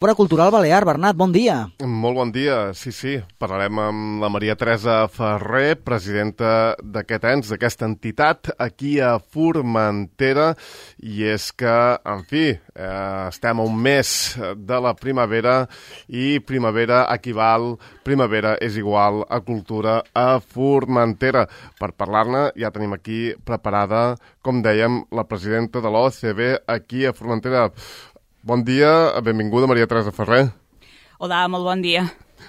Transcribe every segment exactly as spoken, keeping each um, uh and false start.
Fora Cultural Balear. Bernat, bon dia. Molt bon dia, sí, sí. Parlarem amb la Maria Teresa Ferrer, presidenta d'aquest ens, d'aquesta entitat, aquí a Formentera. I és que, en fi, eh, estem a un mes de la primavera i primavera equival, primavera és igual a cultura a Formentera. Per parlar-ne ja tenim aquí preparada, com dèiem, la presidenta de l'O C B aquí a Formentera. Bon dia, benvinguda Maria Teresa Ferrer. Hola, molt bon dia.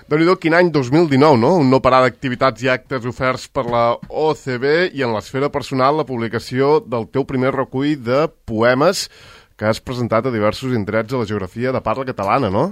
Déu-n'hi-do, quin any dos mil dinou, no? Un no parar d'activitats i actes oferts per la O C B i en l'esfera personal la publicació del teu primer recull de poemes que has presentat a diversos indrets de la geografia de parla catalana, no?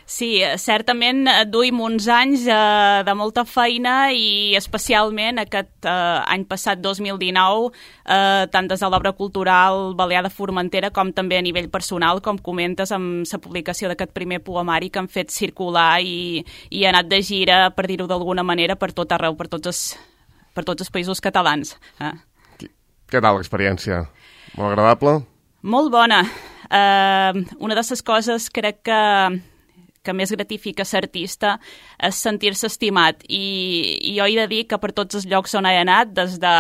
Sí, certament duim uns anys eh, de molta feina i especialment aquest eh, any passat, dos mil dinou, eh, tant des de l'obra cultural Balear de Formentera com també a nivell personal, com comentes, amb la publicació d'aquest primer poemari que han fet circular i, i ha anat de gira, per dir-ho d'alguna manera, per tot arreu, per tots els, per tots els països catalans. Eh? Què tal l'experiència? Molt agradable? Molt bona. Eh, una de les coses crec que que més gratifica ser artista és sentir-se estimat. I, I jo he de dir que per tots els llocs on he anat, des de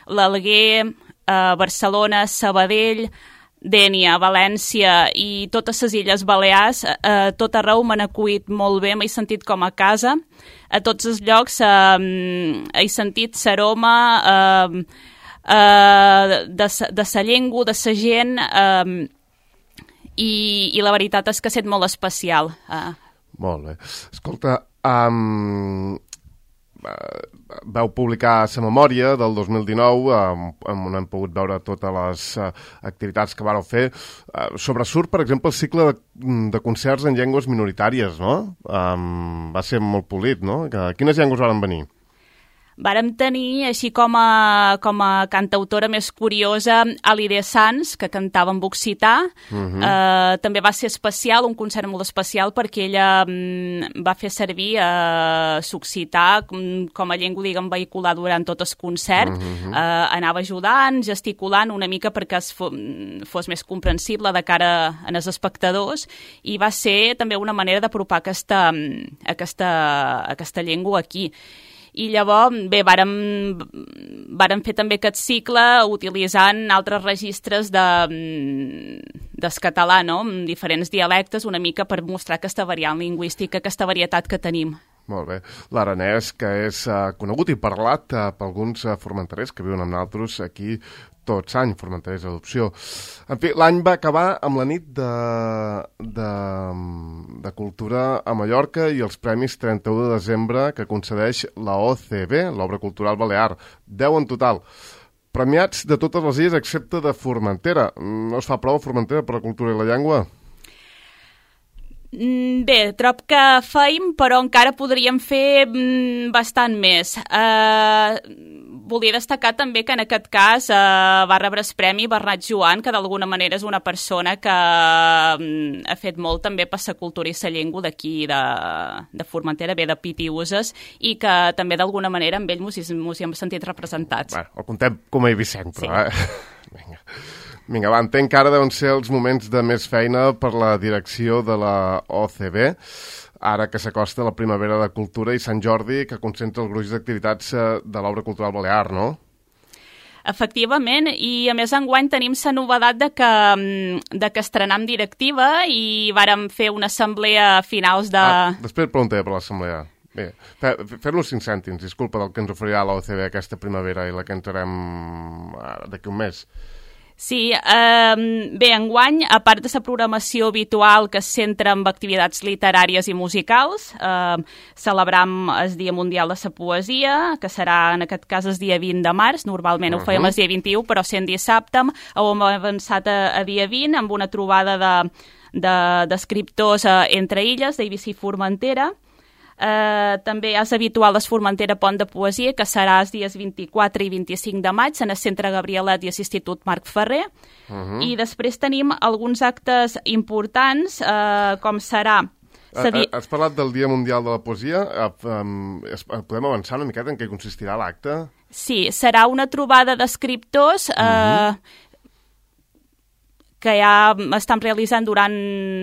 l'Alguer, eh, Barcelona, Sabadell, Dénia, València i totes les Illes Balears, eh, tot arreu m'han acollit molt bé, m'he sentit com a casa. A tots els llocs eh, he sentit l'aroma eh, eh, de, de la llengua, de la gent, eh, I, i la veritat és que ha estat molt especial. Uh. Molt bé. Escolta, um, vau publicar la memòria del dos mil dinou, um, on hem pogut veure totes les uh, activitats que vareu fer. Uh, sobresurt, per exemple, el cicle de, de concerts en llengües minoritàries, no? Um, va ser molt polit, no? Quines llengües varen venir? Vàrem tenir, així com a, com a cantautora més curiosa, Alide Sans, que cantava en occità. Uh-huh. eh, també va ser especial, un concert molt especial, perquè ella mm, va fer servir eh, l'occità com, com a llengua, diguem, vehicular durant tot el concert. Uh-huh. eh, anava ajudant, gesticulant una mica perquè es fos, fos més comprensible de cara als espectadors, i va ser també una manera d'apropar aquesta, aquesta, aquesta llengua aquí. I llavors, bé, vàrem, vàrem fer també aquest cicle utilitzant altres registres de, del català, no?, amb diferents dialectes, una mica per mostrar aquesta variant lingüística, aquesta varietat que tenim. Molt bé. L'aranès, que és uh, conegut i parlat uh, per alguns uh, formenterers que viuen amb nosaltres aquí tots any, formenterers d'adopció. En fi, l'any va acabar amb la nit de, de, de cultura a Mallorca i els premis trenta-u de desembre que concedeix la O C B, l'Obra Cultural Balear. deu en total. Premiats de totes les illes excepte de Formentera. No es fa prou a Formentera per la cultura i la llengua? Bé, trob que feim, però encara podríem fer bastant més. Uh, volia destacar també que en aquest cas uh, va rebre el premi Bernat Joan, que d'alguna manera és una persona que um, ha fet molt també per la cultura i la llengua d'aquí de, de Formentera, bé de Pitiuses, i que també d'alguna manera amb ell mos hi hem sentit representats. Bueno, el contem com a Eivissenc, però... Sí. Eh? Vinga. Vinga, va, entenc que ara deuen ser els moments de més feina per la direcció de la O C B, ara que s'acosta la primavera de cultura i Sant Jordi, que concentra el gruix d'activitats de l'Obra Cultural Balear, no? Efectivament, i a més enguany tenim la novedat de que, de que estrenam directiva i vàrem fer una assemblea a finals de... Ah, després preguntaré per l'assemblea. Bé, fer-nos cinc cèntims, disculpa, del que ens oferirà la O C B aquesta primavera i la que entrarem d'aquí un mes. Sí, eh, bé, enguany, a part de la programació habitual que es centra en activitats literàries i musicals, eh, celebram el Dia Mundial de la Poesia, que serà en aquest cas el dia vint de març, normalment uh-huh. ho fèiem el dia vint-i-u, però sent dissabte, hem avançat a, a dia vint amb una trobada d'escriptors de, de, entre illes, d'Eivissa i Formentera. Uh, també és habitual el Formentera Pont de Poesia, que serà els dies vint-i-quatre i vint-i-cinc de maig en el Centre Gabrielet i l'Institut Marc Ferrer. Uh-huh. I després tenim alguns actes importants, uh, com serà... Di... Has parlat del Dia Mundial de la Poesia. Uh, um, podem avançar una miqueta en què consistirà l'acte? Sí, serà una trobada d'escriptors... Uh, uh-huh. que ja estan realitzant durant,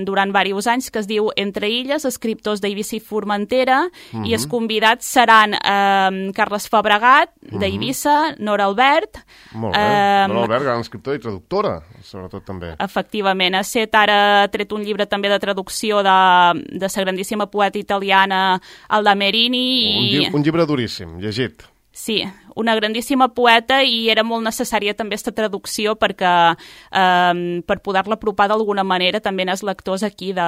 durant diversos anys, que es diu Entre Illes, escriptors d'Eivissa i Formentera, uh-huh. i els convidats seran eh, Carles Fabregat, uh-huh. d'Eivissa, Nora Albert... Molt bé, eh, Nora Albert, gran escriptora i traductora, sobretot també. Efectivament, ha set ara tret un llibre també de traducció de, de la grandíssima poeta italiana Alda Merini. I... Un, lli un llibre duríssim, llegit. Sí, una grandíssima poeta i era molt necessària també aquesta traducció perquè eh, per poder-la apropar d'alguna manera també als lectors aquí de,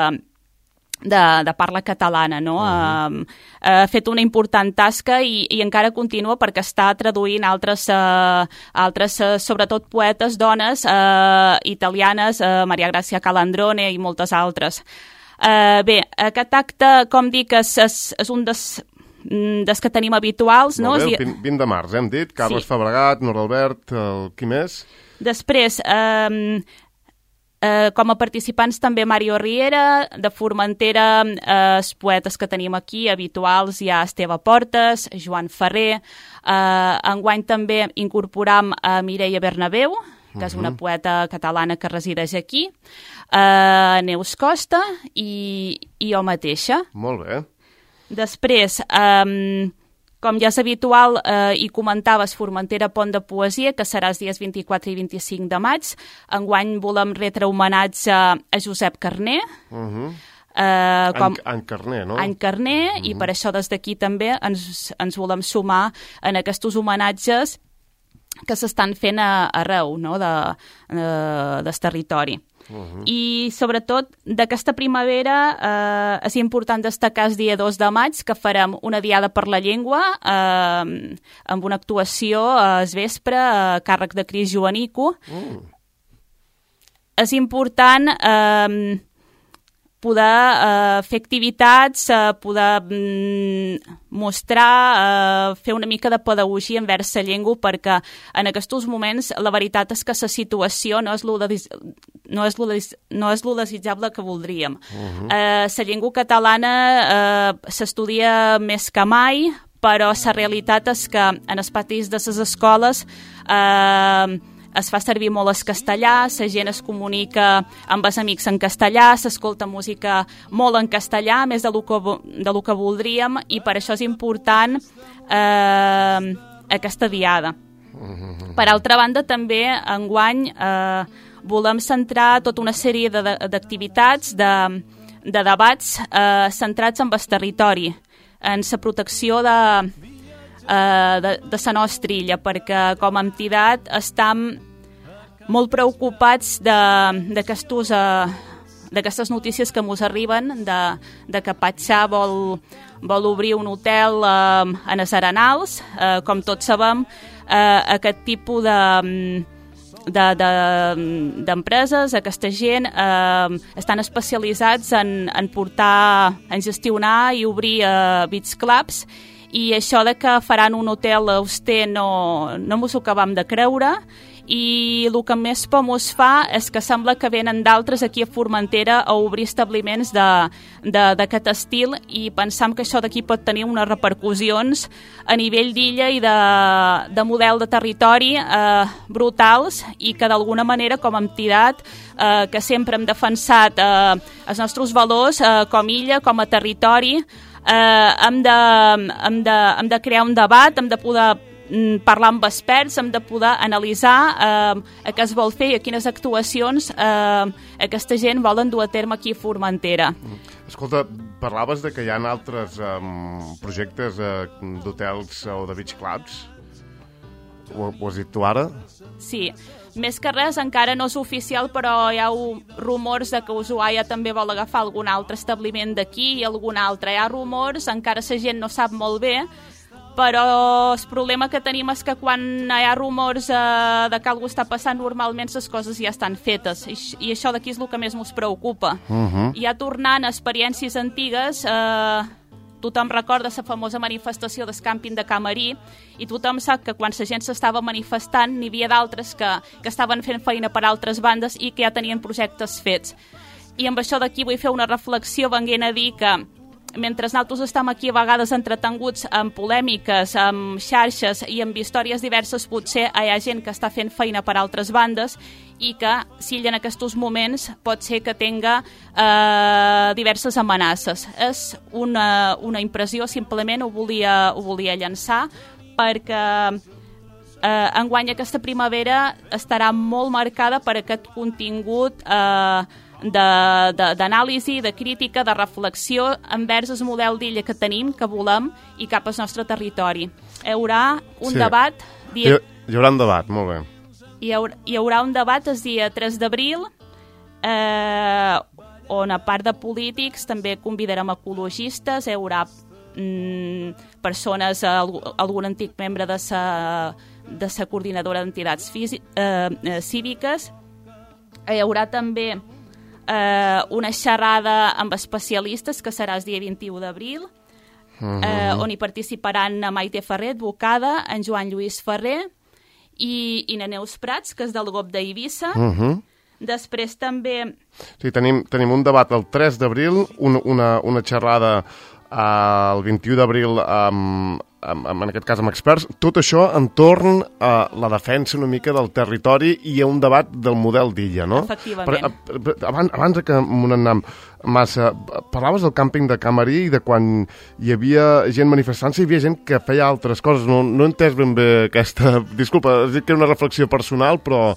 de, de parla catalana, no? Uh-huh. eh, ha fet una important tasca i, i encara continua perquè està traduint altres, eh, altres eh, sobretot poetes, dones eh, italianes, eh, Maria Grazia Calandrone i moltes altres. Eh, bé, aquest acte, com dic, és, és, és un dels... des que tenim habituals. Molt no? bé, el vint de març, hem dit. Carles sí. Fabregat, Nora Albert, el... qui més? Després, eh, eh, com a participants també Mario Riera, de Formentera, eh, els poetes que tenim aquí, habituals, hi ha Esteve Portes, Joan Ferrer, eh, enguany també incorporam a Mireia Bernabéu, que és una poeta catalana que resideix aquí, eh, Neus Costa i, i jo mateixa. Molt bé. Després, eh, com ja és habitual, eh, hi comentaves Formentera Pont de Poesia, que serà els dies vint-i-quatre i vint-i-cinc de maig. Enguany volem retre homenatge a Josep Carner. Uh-huh. eh, com... En, en Carner, no? En Carner, uh-huh. i per això des d'aquí també ens, ens volem sumar en aquests homenatges que s'estan fent a, arreu, no? de, de, del territori. Uh-huh. I sobretot d'aquesta primavera eh, és important destacar el dia dos de maig que farem una diada per la llengua eh, amb una actuació al vespre a càrrec de Cris Joanico. Uh. És important eh, poder eh, fer activitats, eh, poder mm, mostrar, eh, fer una mica de pedagogia envers la llengua, perquè en aquests moments la veritat és que la situació no és lo, de, no és lo, de, no és lo desitjable que voldríem. Uh-huh. eh, la llengua catalana eh, s'estudia més que mai, però la realitat és que en els patis de les escoles eh, es fa servir molt el castellà, la gent es comunica amb els amics en castellà, s'escolta música molt en castellà, més de lo que, de lo que voldríem, i per això és important eh, aquesta diada. Per altra banda, també, enguany, eh, volem centrar tota una sèrie d'activitats, de, de debats eh, centrats en el territori, en la protecció de... de, de la nostra illa, perquè com a entitat estem molt preocupats d'aquestes uh, notícies que ens arriben de, de que Patxà vol, vol obrir un hotel uh, en els Arenals. Uh, com tots sabem, uh, aquest tipus de... d'empreses, de, de, aquesta gent eh, estan especialitzats en, en portar, en gestionar i obrir eh, beach clubs, i això de que faran un hotel auster no, no mos ho acabam de creure, i el que més por mos fa és que sembla que venen d'altres aquí a Formentera a obrir establiments d'aquest estil, i pensam que això d'aquí pot tenir unes repercussions a nivell d'illa i de, de model de territori eh, brutals, i que d'alguna manera com a entitat eh, que sempre hem defensat eh, els nostres valors eh, com illa, com a territori, eh, hem, de, hem, de, hem de crear un debat, hem de poder parlar amb experts, hem de poder analitzar eh, què es vol fer i a quines actuacions eh, aquesta gent volen dur a terme aquí a Formentera. Escolta, parlaves de que hi ha altres um, projectes uh, d'hotels o de beach clubs? Ho, ho has dit tu ara? Sí, més que res encara no és oficial, però hi ha rumors de que Ushuaia també vol agafar algun altre establiment d'aquí i algun altre. Hi ha rumors, encara la gent no sap molt bé, però el problema que tenim és que quan hi ha rumors eh, de que alguna està passant, normalment les coses ja estan fetes, i, i això d'aquí és el que més ens preocupa. Uh-huh. Ja tornant a experiències antigues, eh, tothom recorda la famosa manifestació del càmping de Camarí, i tothom sap que quan la gent s'estava manifestant n'hi havia d'altres que, que estaven fent feina per altres bandes i que ja tenien projectes fets. I amb això d'aquí vull fer una reflexió venint a dir que mentre nosaltres estem aquí a vegades entretenguts amb polèmiques, amb xarxes i amb històries diverses, potser hi ha gent que està fent feina per altres bandes i que, si ell en aquests moments, pot ser que tenga eh, diverses amenaces. És una, una impressió, simplement ho volia, ho volia llançar, perquè eh, enguany aquesta primavera estarà molt marcada per aquest contingut eh, d'anàlisi, de, de, de crítica, de reflexió envers el model d'illa que tenim, que volem, i cap al nostre territori. Hi haurà un sí. debat... Dia... Hi, hi haurà un debat, molt bé. Hi haurà, hi haurà un debat el dia tres d'abril, eh, on a part de polítics també convidarem ecologistes, hi haurà mm, persones, algun antic membre de sa, de sa coordinadora d'entitats eh, eh, cíviques, hi haurà també Eh, una xerrada amb especialistes que serà el dia vint-i-u d'abril, uh-huh. eh, on hi participaran Maite Ferrer, advocada, en Joan Lluís Ferrer i, i na Neus Prats, que és del G O P d'Eivissa. Uh-huh. Després també... Sí, tenim, tenim un debat el tres d'abril, un, una, una xerrada eh, el vint-i-u d'abril amb, amb, amb, en aquest cas amb experts. Tot això entorn a la defensa una mica del territori i a un debat del model d'illa, no? Efectivament. Per, abans, abans que m'ho anem massa, parlaves del càmping de Camarí i de quan hi havia gent manifestant-se, hi havia gent que feia altres coses. No, no he entès ben bé aquesta... Disculpa, has dit que era una reflexió personal, però...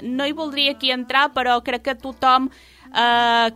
No hi voldria aquí entrar, però crec que tothom eh,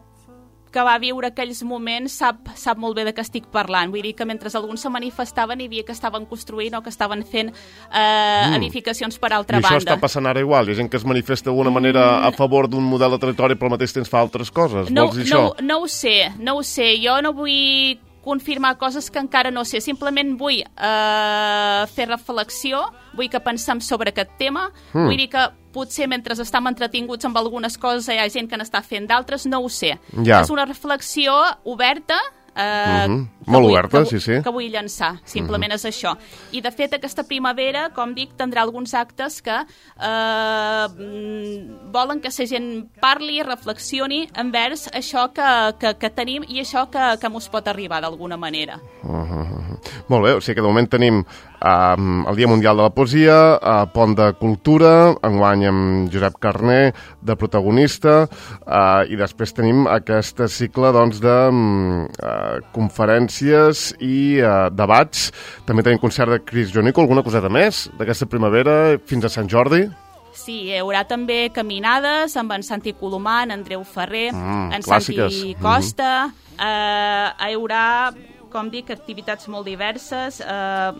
que va viure aquells moments sap, sap molt bé de què estic parlant. Vull dir que mentre alguns se manifestaven hi havia que estaven construint o que estaven fent eh, mm. edificacions per altra I banda. I això està passant ara igual? Hi ha gent que es manifesta d'alguna manera mm. a favor d'un model de territori però al mateix temps fa altres coses? No, Vols dir no, això? no ho sé, no ho sé. Jo no vull confirmar coses que encara no sé. Simplement vull eh, fer reflexió, vull que pensem sobre aquest tema, mm. vull dir que potser mentre estem entretinguts amb algunes coses hi ha gent que n'està fent d'altres, no ho sé. Ja. És una reflexió oberta, eh, mm-hmm. molt vull, oberta, que, sí, sí. que vull llançar, simplement mm-hmm. és això. I de fet aquesta primavera, com dic, tindrà alguns actes que eh, volen que la gent parli, reflexioni envers això que, que, que tenim i això que, que mos pot arribar d'alguna manera. Uh-huh. Molt bé, o sigui que de moment tenim um, el Dia Mundial de la Poesia, uh, Pont de Cultura, enguany amb Josep Carner de protagonista, uh, i després tenim aquest cicle doncs, de um, uh, conferències i uh, debats. També tenim concert de Chris Jonico, alguna coseta més d'aquesta primavera fins a Sant Jordi? Sí, hi haurà també caminades amb en Santi Colomà, en Andreu Ferrer, mm, en clàssiques. Santi Costa. Mm-hmm. Uh, hi haurà, com dic, activitats molt diverses, uh,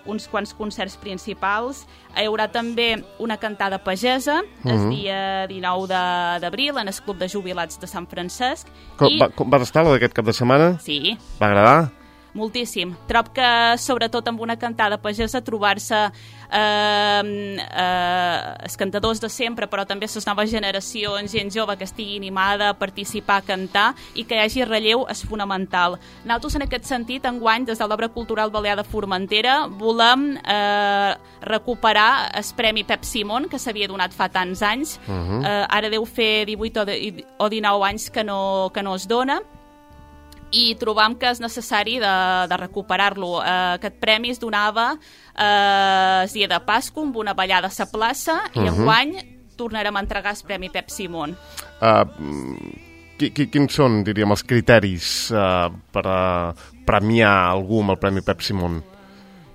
uns quants concerts principals. Hi haurà també una cantada pagesa, mm-hmm. el dia dinou d'abril, en el Club de Jubilats de Sant Francesc. Com, I... va, com va estar la d'aquest cap de setmana? Sí. Va agradar? Moltíssim. Trob que, sobretot amb una cantada pagesa, trobar-se eh, eh, els cantadors de sempre, però també les noves generacions, gent jove que estigui animada a participar, a cantar, i que hi hagi relleu és fonamental. Nosaltres, en aquest sentit, enguany, des de l'Obra Cultural Balear de Formentera, volem eh, recuperar el Premi Pep Simón, que s'havia donat fa tants anys. Uh-huh. eh, ara deu fer divuit o, de, o dinou anys que no, que no es dona, i trobam que és necessari de, de recuperar-lo. Eh, aquest premi es donava eh, el dia de Pasqua amb una ballada a la plaça, i uh-huh. enguany tornarem a entregar el Premi Pep Simón. Uh, qui, qui, quins són, diríem, els criteris uh, per uh, premiar algú amb el Premi Pep Simón?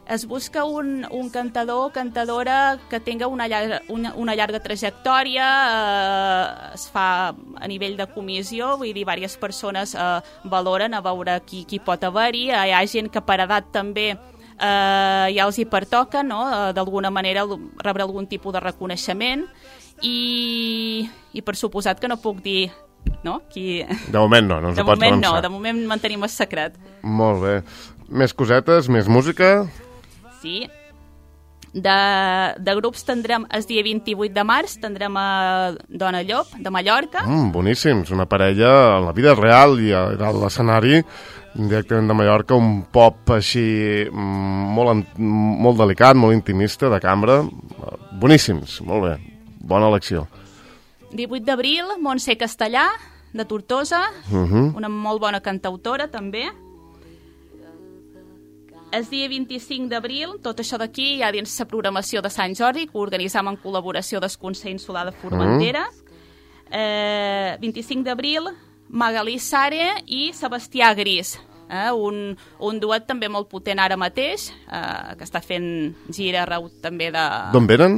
Es busca un, un cantador o cantadora que tenga una llarga, una, una llarga trajectòria, eh, es fa a nivell de comissió, vull dir, diverses persones eh, valoren a veure qui, qui pot haver-hi. Hi ha gent que per edat també eh, ja els hi pertoca, no? Eh, d'alguna manera rebre algun tipus de reconeixement, i, i per suposat que no puc dir... No? Qui... De moment no, no ens de ho pots moment avançar. no, de moment mantenim el secret. Molt bé. Més cosetes, més música? Sí. De, de grups tindrem el dia vint-i-vuit de març, tindrem a Dona Llop, de Mallorca. Mm, boníssims, una parella en la vida real i a, a l'escenari, directament de Mallorca, un pop així molt, molt delicat, molt intimista, de cambra. Boníssims, molt bé, bona elecció. divuit d'abril, Montse Castellà, de Tortosa, Uh-huh. una molt bona cantautora, també. El dia vint-i-cinc d'abril, tot això d'aquí, ja dins la programació de Sant Jordi, que organitzam en col·laboració del Consell Insular de Formentera. Uh-huh. eh, vint-i-cinc d'abril, Magalí Sare i Sebastià Gris. Eh, un, un duet també molt potent ara mateix, eh, que està fent gira arreu també de... D'on venen?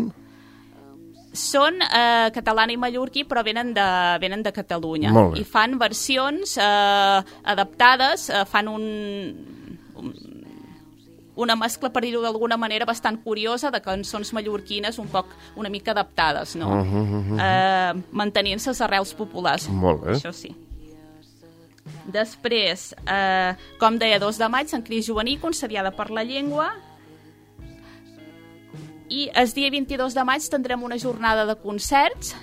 Són eh, catalana i mallorquí, però venen de, venen de Catalunya. Molt bé. I fan versions eh, adaptades, eh, fan un, un, una mescla, per dir-ho d'alguna manera, bastant curiosa de cançons mallorquines un poc, una mica adaptades, no? Uh-huh, uh-huh. Eh, mantenint-se les arrels populars. Molt bé. Això sí. Després, eh, com deia, dos de maig, Sant Crist Juvenil, concediada per la llengua. I el dia vint-i-dos de maig tindrem una jornada de concerts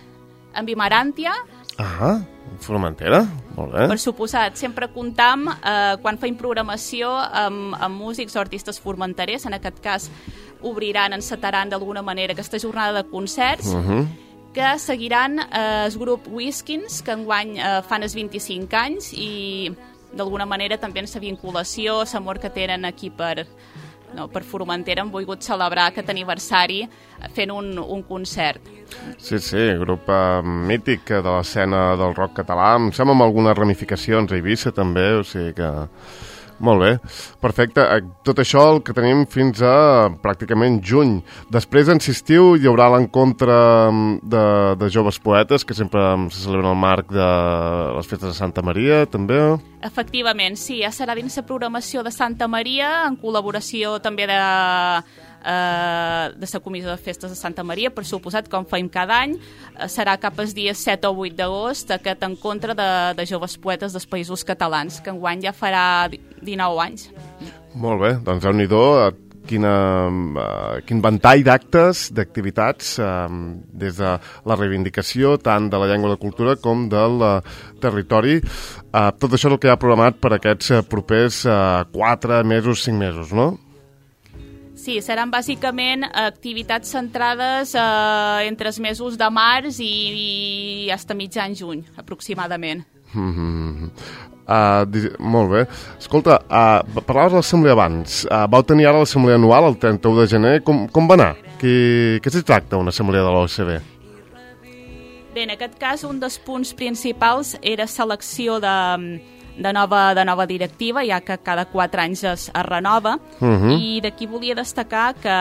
amb Imaràntia. Ah, Formentera, molt bé. Per suposat, sempre comptam, eh, quan feim programació, amb, amb músics o artistes formenterers. En aquest cas, obriran, encetaran d'alguna manera aquesta jornada de concerts, Uh-huh. que seguiran eh, el grup Whiskins, que enguany eh, fan els vint-i-cinc anys, i d'alguna manera també en la vinculació, l'amor que tenen aquí per, no, per Formentera, han volgut celebrar aquest aniversari fent un, un concert. Sí, sí, grup eh, mític de l'escena del rock català, em sembla amb algunes ramificacions a Eivissa també, o sigui que... Molt bé, perfecte. Tot això el que tenim fins a pràcticament juny. Després, en estiu, hi haurà l'encontre de, de joves poetes, que sempre se celebra en el marc de les festes de Santa Maria, també. Efectivament, sí, ja serà dins la programació de Santa Maria, en col·laboració també de, eh, de la Comissió de Festes de Santa Maria, per suposat, com feim cada any. Eh, serà cap als dies set o vuit d'agost aquest encontre de, de joves poetes dels països catalans, que enguany ja farà dinou anys. Molt bé, doncs déu-n'hi-do, quina, uh, quin ventall d'actes, d'activitats, uh, des de la reivindicació tant de la llengua i la cultura com del uh, territori. Uh, tot això és el que hi ha programat per aquests uh, propers uh, quatre mesos, cinc mesos, no? Sí, seran bàsicament activitats centrades eh, entre els mesos de març i, i fins a mitjan juny, aproximadament. Mm-hmm. Uh, molt bé. Escolta, uh, parlaves de l'assemblea abans. Uh, vau tenir ara l'assemblea anual el trenta-u de gener. Com, com va anar? Què, què s'hi tracta una assemblea de l'O S B? Bé, en aquest cas, un dels punts principals era selecció de, de, nova, de nova directiva, ja que cada quatre anys es, es renova. Uh-huh. I d'aquí volia destacar que,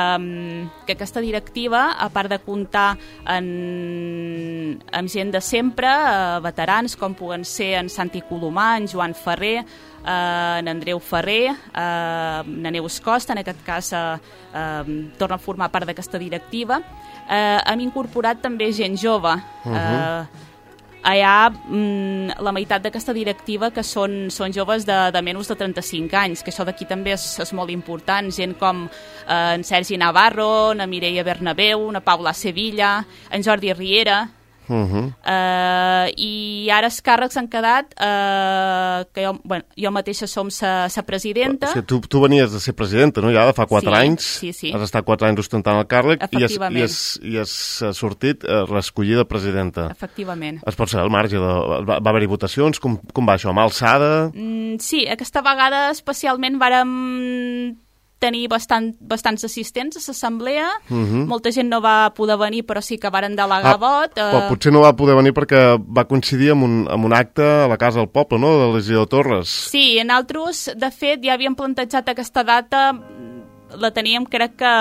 que aquesta directiva, a part de comptar en, amb gent de sempre, eh, veterans, com puguen ser en Santi Colomà, en Joan Ferrer, Uh, en Andreu Ferrer, uh, en Neus Costa, en aquest cas uh, uh, torna a formar part d'aquesta directiva. Uh, hem incorporat també gent jove. Uh-huh. uh, Allà mm, la meitat d'aquesta directiva que són, són joves de, de menys de trenta-cinc anys, que això d'aquí també és, és molt important. Gent com uh, en Sergi Navarro, na Mireia Bernabéu, na Paula Sevilla, en Jordi Riera. Uh-huh. uh, I ara els càrrecs han quedat uh, que jo, bueno, jo mateixa som sa, sa presidenta. O sigui, tu, tu venies de ser presidenta, no? Ja de fa quatre sí, anys, sí, sí. Has estat quatre anys ostentant el càrrec i has, i, has, i has sortit uh, l'escollida presidenta. Efectivament. Es pot saber al marge, de, va, va haver-hi votacions, com, com va això, mà alçada? Mm, sí, aquesta vegada especialment vàrem tenir bastant, bastants assistents a l'assemblea. Uh-huh. Molta gent no va poder venir, però sí que varen delegar ah, vot. Eh... Però potser no va poder venir perquè va coincidir amb un, amb un acte a la Casa del Poble, no?, de l'Eliseo Torres. Sí, en altres, de fet, ja havíem plantejat aquesta data, la teníem, crec que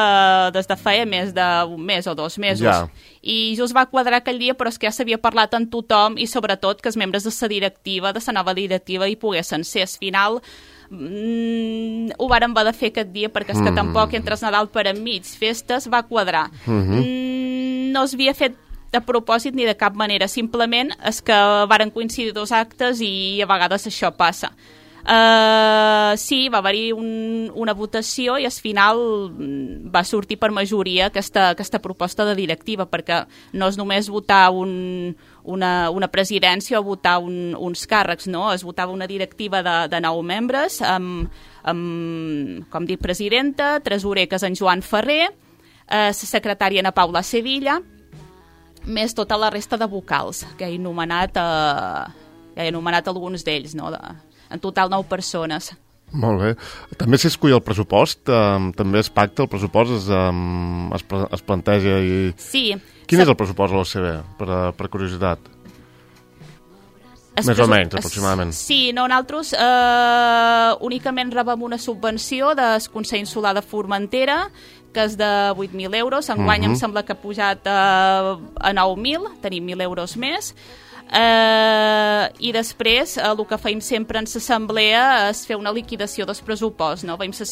des de feia més d'un mes o dos mesos. Ja. I just va quadrar aquell dia, però és que ja s'havia parlat amb tothom i sobretot que els membres de la directiva, de la nova directiva, hi poguessin ser. Al final, Mm, ho vàrem haver de fer aquest dia perquè és que mm. tampoc entre el Nadal per enmig festes va quadrar. Mm-hmm. mm, no es havia fet a propòsit ni de cap manera, simplement és que varen coincidir dos actes i a vegades això passa. Uh, sí, va haver-hi un, una votació i al final va sortir per majoria aquesta, aquesta proposta de directiva, perquè no és només votar un, una, una presidència o votar un, uns càrrecs, no? Es votava una directiva de, de nou membres amb, amb, com dic, presidenta, tresorer que és en Joan Ferrer, uh, secretària Ana Paula Sevilla, més tota la resta de vocals que he anomenat uh, ja he anomenat alguns d'ells, no? De, en total nou persones. Molt bé. També s'escull el pressupost? Um, també es pacta el pressupost? Es, um, es, es planteja i... Sí. Quin és el pressupost de l'O C B, per, per curiositat? Es Més o menys, aproximadament. Sí, no, nosaltres eh, únicament rebem una subvenció del Consell Insular de Formentera, que és de vuit mil euros. Enguany uh-huh. em sembla que ha pujat eh, a nou mil, tenim mil euros més. Eh, I després eh, el que feim sempre en l'assemblea és fer una liquidació dels pressuposts, no? Veiem la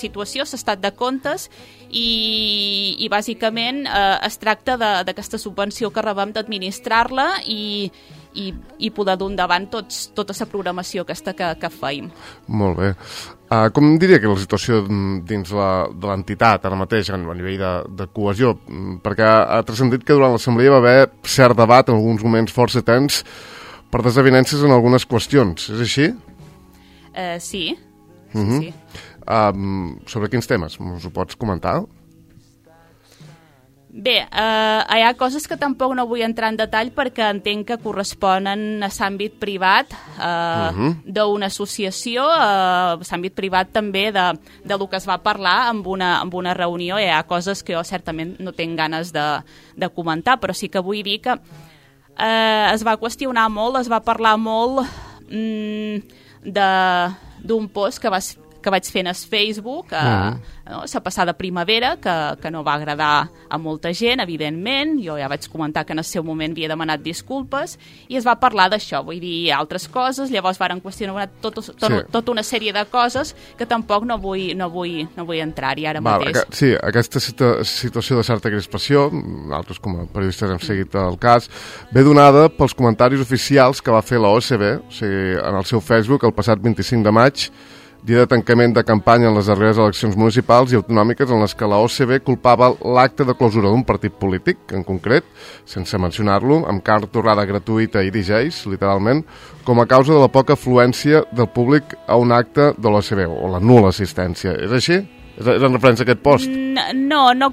situació, l'estat de comptes i, i bàsicament eh, es tracta d'aquesta subvenció que rebem d'administrar-la i i, i poder dur endavant tots, tota la programació aquesta que, que feim. Molt bé. Uh, com diria que la situació dins la, de l'entitat ara mateix a nivell de, de cohesió? Perquè ha transcendit que durant l'assemblea va haver cert debat en alguns moments força tens per desavinences en algunes qüestions. És així? Uh, sí. Uh-huh. sí, sí. Um, sobre quins temes? Us ho pots comentar? Bé, eh, hi ha coses que tampoc no vull entrar en detall perquè entenc que corresponen a l'àmbit privat eh, uh-huh. d'una associació, eh, l'àmbit privat també de, de lo que es va parlar en una, en una reunió. Hi ha coses que jo certament no tinc ganes de, de comentar, però sí que vull dir que eh, es va qüestionar molt, es va parlar molt mm, d'un post que va que vaig fer en el Facebook, eh, uh-huh. no, la passada primavera, que, que no va agradar a molta gent, evidentment. Jo ja vaig comentar que en el seu moment havia demanat disculpes i es va parlar d'això, vull dir, altres coses. Llavors varen qüestionar tot, tot, sí. tota una sèrie de coses que tampoc no vull, no vull, no vull entrar-hi ara Val, mateix. Que, sí, aquesta situ situació de certa crispació, nosaltres com a periodistes hem seguit el cas, ve donada pels comentaris oficials que va fer la O C B, o sigui, en el seu Facebook el passat vint-i-cinc de maig, dia de tancament de campanya en les darreres eleccions municipals i autonòmiques en les que la O C B culpava l'acte de clausura d'un partit polític, en concret, sense mencionar-lo, amb carta torrada gratuïta i D Js, literalment, com a causa de la poca afluència del públic a un acte de l'O C B, o la nul·la assistència. És així? És en referència a aquest post? No, no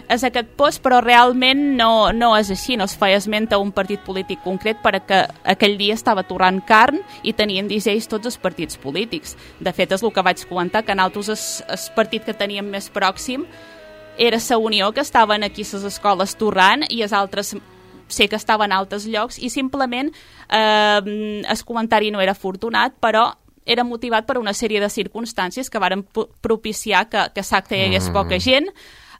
és aquest post, però realment no, no és així. No es feia esment a un partit polític concret perquè aquell dia estava torrant carn i tenien D Js tots els partits polítics. De fet, és el que vaig comentar, que nosaltres el partit que teníem més pròxim era la Unió, que estaven aquí a les escoles torrant, i els altres sé que estaven a altres llocs, i simplement eh, el comentari no era afortunat, però era motivat per una sèrie de circumstàncies que varen propiciar que, que l'acte hi hagués poca gent,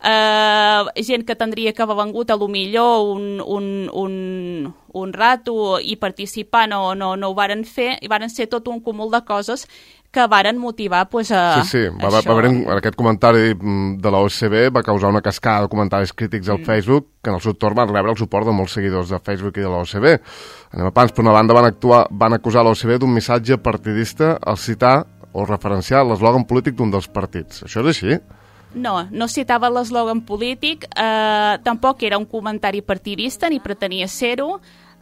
Uh, gent que tindria que haver vengut a lo millor un, un, un, un rato i participar, no, no, no ho varen fer, i varen ser tot un cúmul de coses que varen motivar pues, a sí, sí. Va, va, va haver aquest comentari de la O C B va causar una cascada de comentaris crítics al mm. Facebook, que en el seu torn van rebre el suport de molts seguidors de Facebook i de la O C B. Anem a pans, per una banda van, actuar, van acusar la O C B d'un missatge partidista al citar o referenciar l'eslògan polític d'un dels partits. Això és així? No, no citava l'eslògan polític, eh, tampoc era un comentari partidista, ni pretenia ser-ho.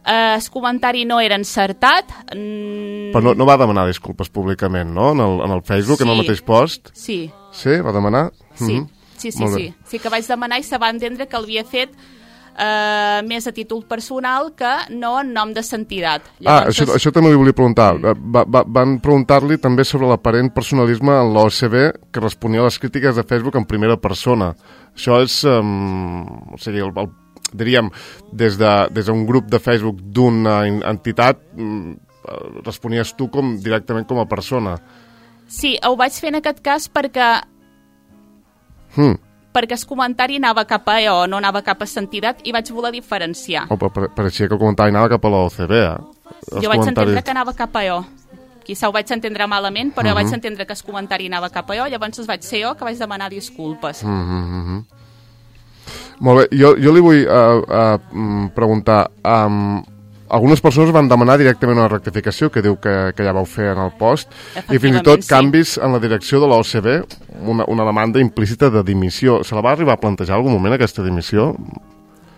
Eh, el comentari no era encertat. Mm. Però no, no va demanar disculpes públicament, no?, en el, en el Facebook, sí. En el mateix post? Sí. Sí? Va demanar? Sí, mm-hmm. sí, sí, sí. Sí que vaig demanar i se va entendre que l'havia fet Uh, més a títol personal que no en nom de l'entitat. Ah, això, això també li volia preguntar. Va, va, van preguntar-li també sobre l'aparent personalisme en l'O C B que responia a les crítiques de Facebook en primera persona. Això és, um, o sigui, el, el, diríem, des d'un de, des d'un grup de Facebook d'una entitat, um, responies tu com, directament com a persona. Sí, ho vaig fer en aquest cas perquè... Hmm. perquè el comentari anava cap a o no anava cap a l'entitat i vaig voler diferenciar. Oh, però pareixia que el comentari anava cap a la O C B, eh? Els jo vaig entendre que anava cap a o. Quizà ho vaig entendre malament, però uh-huh. jo vaig entendre que el comentari anava cap a o, llavors vaig ser jo que vaig demanar disculpes. Uh-huh, uh-huh. Molt bé, jo, jo li vull uh, uh, preguntar... Um, algunes persones van demanar directament una rectificació que diu que, que ja vau fer en el post i fins i tot sí. Canvis en la direcció de la O C B, una, una demanda implícita de dimissió. Se la va arribar a plantejar en algun moment aquesta dimissió?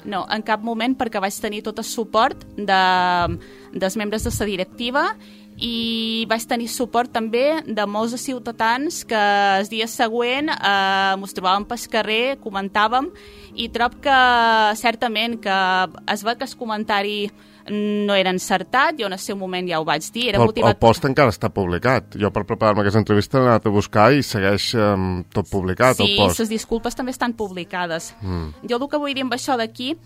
No, en cap moment, perquè vaig tenir tot el suport de, dels membres de la directiva i vaig tenir suport també de molts de ciutadans que el dia següent eh, ens trobàvem pel carrer, comentàvem, i trob que certament que es va que el comentari no era encertat, jo en el seu moment ja ho vaig dir. Era el, motivat... el post encara està publicat. Jo per preparar-me aquesta entrevista l'he anat a buscar i segueix um, tot publicat, sí, el post. Sí, les disculpes també estan publicades. Mm. Jo el que vull dir amb això d'aquí,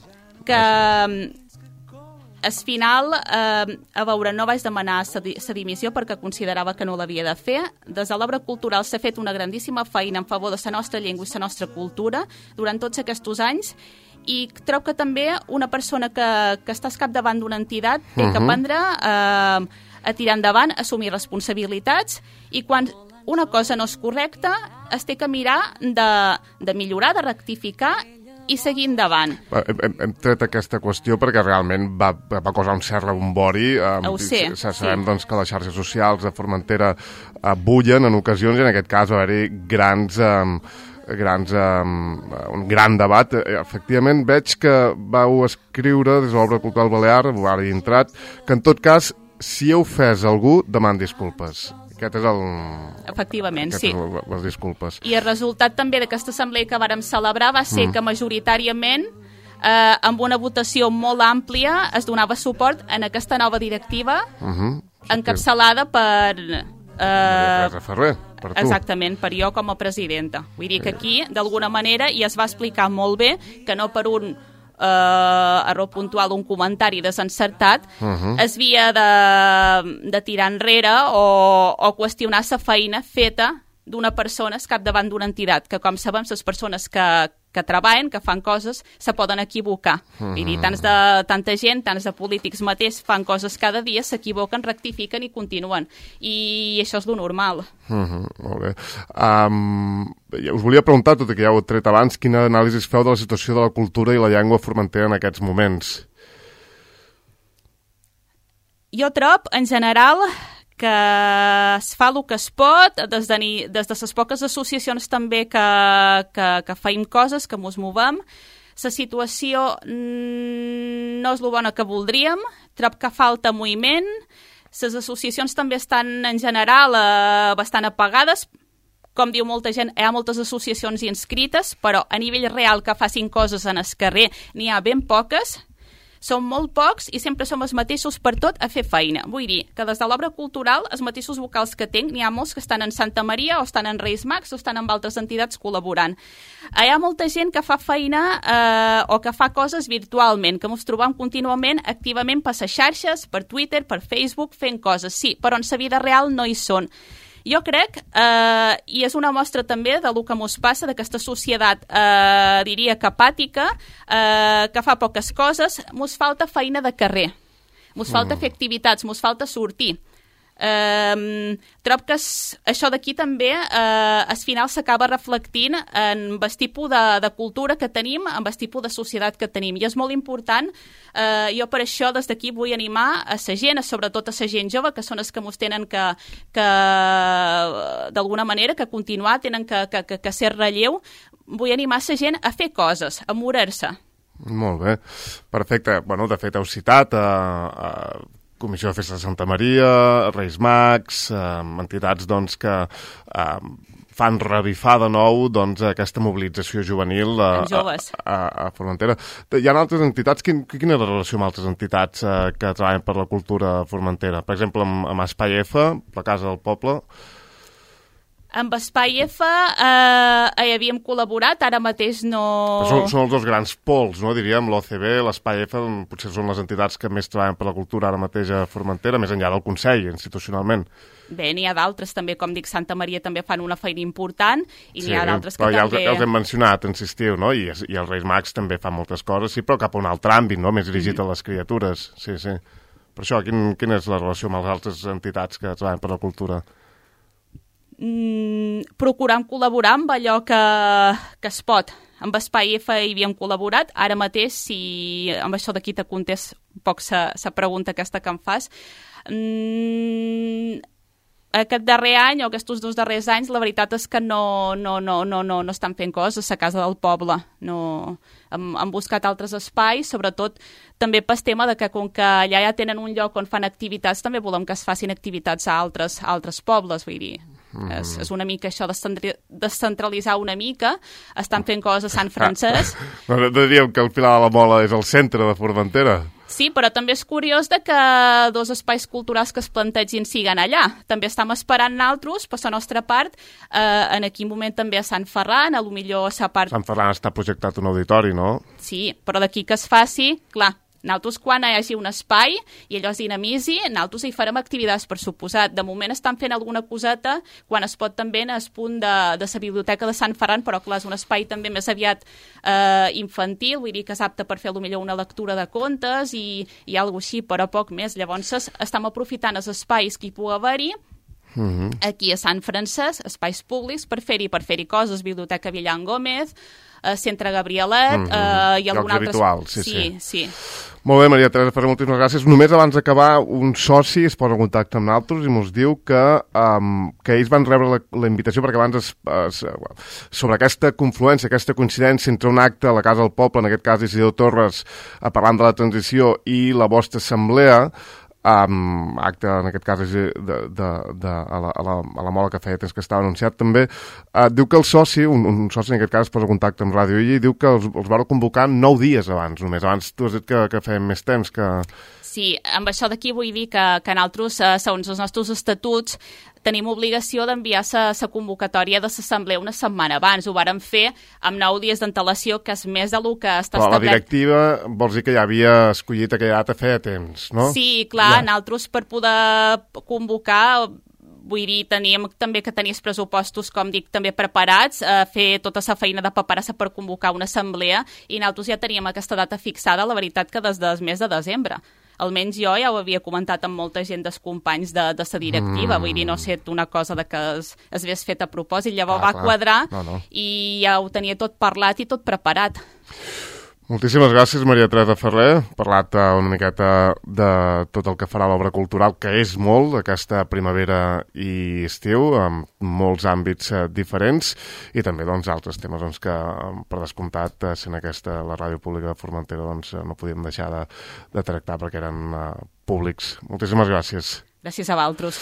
que al final, eh, a veure, no vaig demanar sa dimissió perquè considerava que no l'havia de fer. Des de l'obra cultural s'ha fet una grandíssima feina en favor de la nostra llengua i la nostra cultura durant tots aquests anys, i trobo que també una persona que, que està al capdavant d'una entitat té uh -huh. que aprendre eh, a tirar endavant, a assumir responsabilitats, i quan una cosa no és correcta es té que mirar de, de millorar, de rectificar i seguir endavant. Hem, hem tret aquesta qüestió perquè realment va, va causar un cert rebombori. Eh, Ho sé, sabem sí. doncs, que les xarxes socials de Formentera eh, bullen en ocasions, i en aquest cas va haver-hi grans... Eh, grans, um, un gran debat. Efectivament, veig que vau escriure des de l'Obra Cultural Balear, ara hi he entrat, que en tot cas, si heu ofès algú, deman disculpes. Aquest és el... Efectivament, Aquest sí. És el, les disculpes. I el resultat també d'aquesta assemblea que vàrem celebrar va ser mm. que majoritàriament, eh, amb una votació molt àmplia, es donava suport en aquesta nova directiva, uh -huh. encapçalada per... Eh, Teresa Ferrer, per tu. Exactament, per jo com a presidenta. Vull dir que aquí, d'alguna manera, i es va explicar molt bé que no per un eh, error puntual, un comentari desencertat, uh -huh. es havia de, de tirar enrere o, o qüestionar la feina feta d'una persona al capdavant d'una entitat, que com sabem, les persones que, que treballen, que fan coses, se poden equivocar. Uh -huh. Vull dir, tants de, tanta gent, tants de polítics mateix fan coses cada dia, s'equivoquen, rectifiquen i continuen. I això és lo normal. Uh -huh, molt bé. Um, us volia preguntar, tot i que ja ho he tret abans, quina anàlisi feu de la situació de la cultura i la llengua a Formentera en aquests moments? Jo trob, en general, que es fa el que es pot, des de, ni, des de les poques associacions també que, que, que feim coses, que mos movem. La situació no és el bona que voldríem, trob que falta moviment, les associacions també estan en general eh, bastant apagades, com diu molta gent, hi ha moltes associacions inscrites, però a nivell real que facin coses en el carrer n'hi ha ben poques. Som molt pocs i sempre som els mateixos per tot a fer feina. Vull dir que des de l'obra cultural, els mateixos vocals que tinc, n'hi ha molts que estan en Santa Maria o estan en Reis Mags o estan amb altres entitats col·laborant. Hi ha molta gent que fa feina eh, o que fa coses virtualment, que ens trobem contínuament, activament per les xarxes, per Twitter, per Facebook, fent coses, sí, però en la vida real no hi són. Jo crec, eh, i és una mostra també del que mos passa, d'aquesta societat, eh, diria que apàtica, eh, que fa poques coses, mos falta feina de carrer, mos falta fer activitats, mos falta sortir. Eh, trob que es, això d'aquí també eh, al final s'acaba reflectint en el tipus de, de cultura que tenim, en el tipus de societat que tenim, i és molt important. Eh, jo per això des d'aquí vull animar a la gent, sobretot a la gent jove, que són els que mos tenen que, que d'alguna manera, que continuar, tenen que, que, que, que ser relleu. Vull animar la gent a fer coses, a morir-se. Molt bé, perfecte. Bueno, de fet, heu citat a... a... Comissió de Festa de Santa Maria, Reis Mags, eh, entitats doncs, que eh, fan revifar de nou doncs, aquesta mobilització juvenil a, a, a, a Formentera. Hi ha altres entitats? Quin, quina és la relació amb altres entitats eh, que treballen per la cultura a Formentera? Per exemple, amb, amb Espai F, la Casa del Poble. Amb Espai F eh, hi havíem col·laborat, ara mateix no... Són, són els dos grans pols, no? Diríem, l'O C B, l'Espai F, potser són les entitats que més treballen per la cultura ara mateix a Formentera, més enllà del Consell, institucionalment. Bé, n'hi ha d'altres també, com dic, Santa Maria també fan una feina important, i sí, n'hi ha d'altres que però ja també... Ja els hem mencionat, insistiu, no? I, i els Reis Mags també fan moltes coses, sí, però cap a un altre àmbit, no? Més dirigit mm -hmm. a les criatures, sí, sí. Per això, quin, quina és la relació amb les altres entitats que treballen per la cultura? Mm, procurant col·laborar amb allò que, que es pot. Amb Espai F hi havíem col·laborat, ara mateix, si amb això d'aquí te contés un poc la pregunta aquesta que em fas, mm, aquest darrer any o aquests dos darrers anys la veritat és que no, no, no, no, no, no estan fent coses a Casa del Poble. No, hem, hem buscat altres espais, sobretot també pel tema de que com que allà ja tenen un lloc on fan activitats, també volem que es facin activitats a altres, a altres pobles, vull dir. Mm. És, és una mica això de descentralitzar una mica. Estan fent coses a Sant Francesc. No, no diríem que el Pilar de la Mola és el centre de Formentera? Sí, però també és curiós de que dos espais culturals que es plantegin siguen allà. També estem esperant naltros, per la nostra part, eh, en aquell moment també a Sant Ferran, a lo millor a la part... Sant Ferran està projectat un auditori, no? Sí, però d'aquí que es faci, clar, nosaltres quan hi hagi un espai i allò es dinamitzi, nosaltres hi farem activitats, per suposat. De moment estan fent alguna coseta quan es pot també en el punt de, de la biblioteca de Sant Ferran, però clar, és un espai també més aviat eh, infantil, vull dir que és apte per fer potser una lectura de contes i, i alguna així, però poc més. Llavors estem aprofitant els espais que hi pugui haver-hi, uh-huh. aquí a Sant Francesc, espais públics, per fer-hi per fer-hi coses, Biblioteca Villan Gómez, Uh, Centre Gabrielet, mm-hmm. uh, i algun altre... habituals, sí, sí, sí. sí. Molt bé, Maria Teresa Ferrer, moltíssimes gràcies. Només abans d'acabar, un soci es posa en contacte amb nosaltres i ens diu que, um, que ells van rebre la, la invitació perquè abans es, es, sobre aquesta confluència, aquesta coincidència entre un acte a la Casa del Poble, en aquest cas Isidro Torres, uh, parlant de la transició, i la vostra assemblea, Um, acte, en aquest cas, de, de, de, a, la, a, la, a la mola que feia temps que estava anunciat també, uh, diu que el soci, un, un soci en aquest cas es posa en contacte amb Ràdio Illa i diu que els, els vau convocar nou dies abans només, abans tu has dit que, que fèiem més temps que... Sí, amb això d'aquí vull dir que, que nosaltres, eh, segons els nostres estatuts, tenim obligació d'enviar la convocatòria de l'assemblea una setmana abans. Ho vàrem fer amb nou dies d'antelació, que és més del que està Però establert. la directiva vols dir que ja havia escollit aquella data feia temps, no? Sí, clar, ja. nosaltres per poder convocar... Vull dir, teníem també que tenir els pressupostos, com dic, també preparats, eh, fer tota la feina de paperassa per convocar una assemblea, i nosaltres ja teníem aquesta data fixada, la veritat que des del mes de desembre. Almenys jo ja ho havia comentat amb molta gent dels companys de, de la directiva, mm. vull dir, no sé, una cosa de que es, es hagués fet a propòsit, llavors ah, va clar. quadrar no, no. i ja ho tenia tot parlat i tot preparat. Moltíssimes gràcies, Maria Teresa Ferrer. Parlat una miqueta de tot el que farà l'obra cultural, que és molt, aquesta primavera i estiu, amb molts àmbits eh, diferents, i també doncs, altres temes doncs, que, per descomptat, sent aquesta la ràdio pública de Formentera, doncs, no podíem deixar de, de tractar perquè eren eh, públics. Moltíssimes gràcies. Gràcies a vosaltres.